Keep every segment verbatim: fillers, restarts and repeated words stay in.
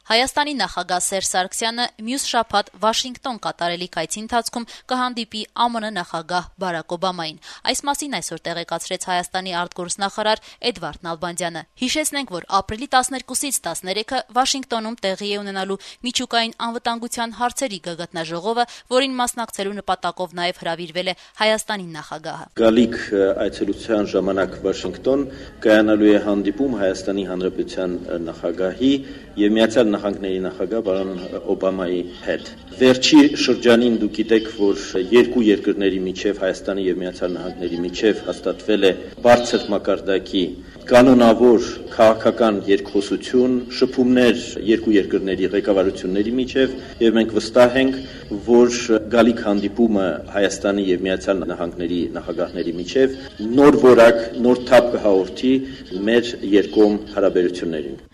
Հայաստանի նախագահ Սերժ Սարգսյանը մյուս շաբաթ Վաշինգտոն կատարելի այցի ընթացքում կհանդիպի ԱՄՆ նախագահ Բարակ Օբամային։ Այս մասին այսօր տեղեկացրեց Հայաստանի արտգործնախարար Էդվարդ Նալբանդյանը։ Հիշեցնենք, որ ապրիլի տասներկուսից տասներեքը Վաշինգտոնում տեղի է ունենալու միջուկային անվտանգության հարցերի գագաթնաժողովը, որին մասնակցելու նպատակով նաև հրավիրվել է Հայաստանի նախագահը։ Գալիք այցելության ժամանակ Վաշինգտոն կայանալու է հանդիպում Հայաստանի Հանրապետության նախագահի եւ Միացյալ Նահանգների նախագահ պարոն Օբամայի հետ։ Վերջի շրջանին դուք գիտեք, որ երկու երկրների միջև Հայաստանի եւ Միացյալ Նահանգների միջև հաստատվել է բարձր մակարդակի կանոնավոր քաղաքական երկխոսություն, շփումներ երկու երկրների ղեկավարությունների միջև, եւ մենք վստահ ենք, որ գալիք հանդիպումը Հայաստանի եւ Միացյալ Նահանգների նախագահների միջև նոր որակ, նոր թափ կհաղորդի մեր երկկողմ հարաբերություններին։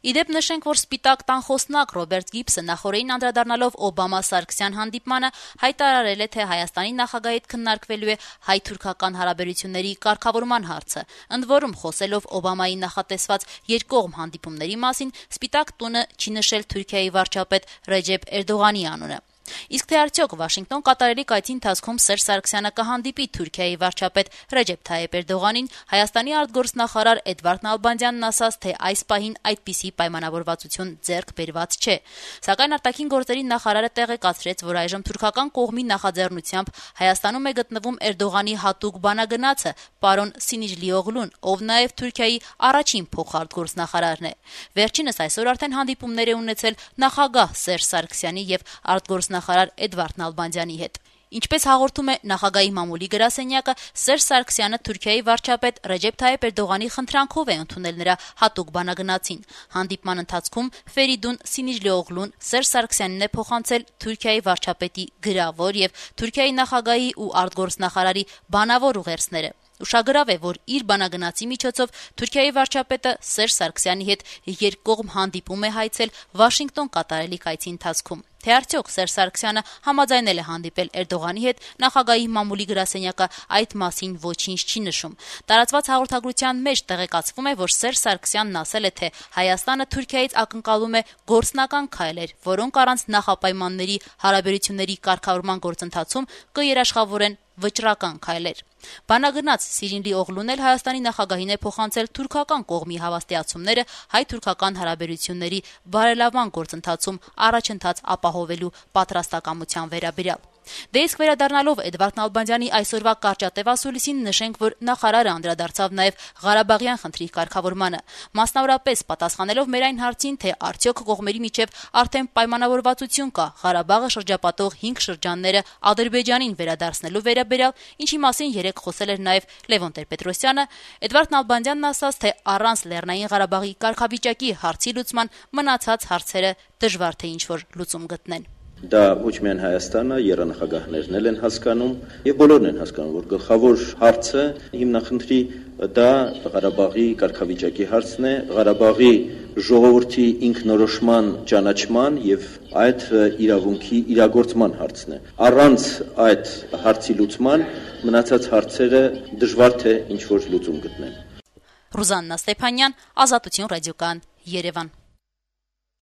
Իդեպ նշենք, որ Սպիտակ տան խոսնակ Ռոբերտ Գիբսը նախորդին անդրադառնալով Օբամա-Սարգսյան հանդիպմանը հայտարարել է, թե Հայաստանի նախագահի հետ քննարկվելու է հայ-թուրքական հարաբերությունների կարգավորման հարցը։ Ընդ որում, խոսելով Օբամայի նախատեսված երկկողմ հանդիպումների մասին, Սպիտակ տունը չի նշել Թուրքիայի վարչապետ Ռեջեփ Էրդողանի անունը։ Իսկ թե արդյոք Վաշինգտոն կատարելի այցի ընթացքում Սերժ Սարգսյանը կհանդիպի Թուրքիայի վարչապետ Ռեջեփ Թայիփ Էրդողանին, Հայաստանի արտգործնախարար Էդվարդ Նալբանդյանն ասաց, թե այս պահին այդպիսի պայմանավորվածություն ձեռք բերված չէ։ Սակայն արտաքին գործերի նախարարը տեղեկացրեց, որ այժմ թուրքական կողմի նախաձեռնությամբ Հայաստանում է գտնվում Էրդողանի հատուկ բանագնացը պարոն Սինիջլի Օղլուն, ով նաև Թուրքիայի առաջին փոխարտգործնախարարն է։ Վերջինս այսօր արդեն հանդիպումներ է ունեցել նախագահ Սերժ Սարգսյանի եւ արտգործ նախարար Էդվարդ Նալբանդյանի հետ։ Ինչպես հաղորդում է նախագահի մամուլի գրասենյակը, Սերժ Սարգսյանը Թուրքիայի վարչապետ Ռեջեփ Թայիփ Էրդողանի խնդրանքով է ընդունել նրա հատուկ բանագնացին։ Հանդիպման ընթացքում Ֆերիդուն Սինիջլի Օղլուն Սերժ Սարգսյանին է փոխանցել Թուրքիայի վարչապետի գրավոր եւ Թուրքիայի նախագահի ու արտգործնախարարի բանավոր ուղերձները։ Ուշագրավ է, որ իր բանագնացի միջոցով Թուրքիայի վարչապետը Սերժ Սարգսյանի հետ երկկողմ հանդիպում է հայցել Վաշինգտոն կատարելի այցի ընթացքում։ Թե արդյոք Սերժ Սարգսյանը համաձայնել է հանդիպել Էրդողանի հետ, նախագահի մամուլի գրասենյակը այդ մասին ոչինչ չի նշում։ Տարածված հաղորդագրության մեջ տեղեկացվում է, որ Սերժ Սարգսյանն ասել է, թե Հայաստանը Թուրքիայից ակնկալում է գործնական քայլեր, որոնք առանց նախապայմանների հարաբերությունների կարգավորման գործընթացում կերաշխավորեն վճռական քայլեր։ Բանագնաց Սիրինլի Օղլուն էլ Հայաստանի նախագահին է փոխանցել թուրքական կողմի հավաստիացումները հայ-թուրքական հարաբերությունների բարելավման գործընթացում առաջընթաց ապահովելու պատրաստակամության վերաբերյալ։ Դե իսկ վերադառնալով Էդվարդ Նալբանդյանի այսօրվա կարճատև ասուլիսին, նշենք, որ նախարարը անդրադարձավ նաև Ղարաբաղյան խնդրի կարգավորմանը, մասնավորապես պատասխանելով մեր այն հարցին, թե արդյոք կողմերի միջև արդեն պայմանավորվածություն կա Ղարաբաղը շրջապատող հինգ շրջանները Ադրբեջանին վերադարձնելու վերաբերյալ, ինչի մասին երեկ խոսել էր նաև Լևոն Տեր-Պետրոսյանը, Էդվարդ Նալբանդյանն ասաց, թե առանց Լեռնային Ղարաբաղի կարգավիճակի հարցի լուծման մնացած հարցերը դժվար թե ինչ-որ լուծում գտնեն։ Դա ոչ միայն Հայաստանը, եռանախագահներն էլ են հասկանում եւ բոլորն են հասկանում, որ գլխավոր հարցը հիմնախնդրի դա Ղարաբաղի կարգավիճակի հարցն է, Ղարաբաղի ժողովրդի ինքնորոշման ճանաչման եւ այդ իրավունքի իրագործման հարցն է։ Առանց այդ հարցի լուծման մնացած հարցերը դժվար թե ինչ որ լուծում գտնեն։ Ռուզաննա Ստեփանյան, Ազատություն ռադիոկայան, Երևան։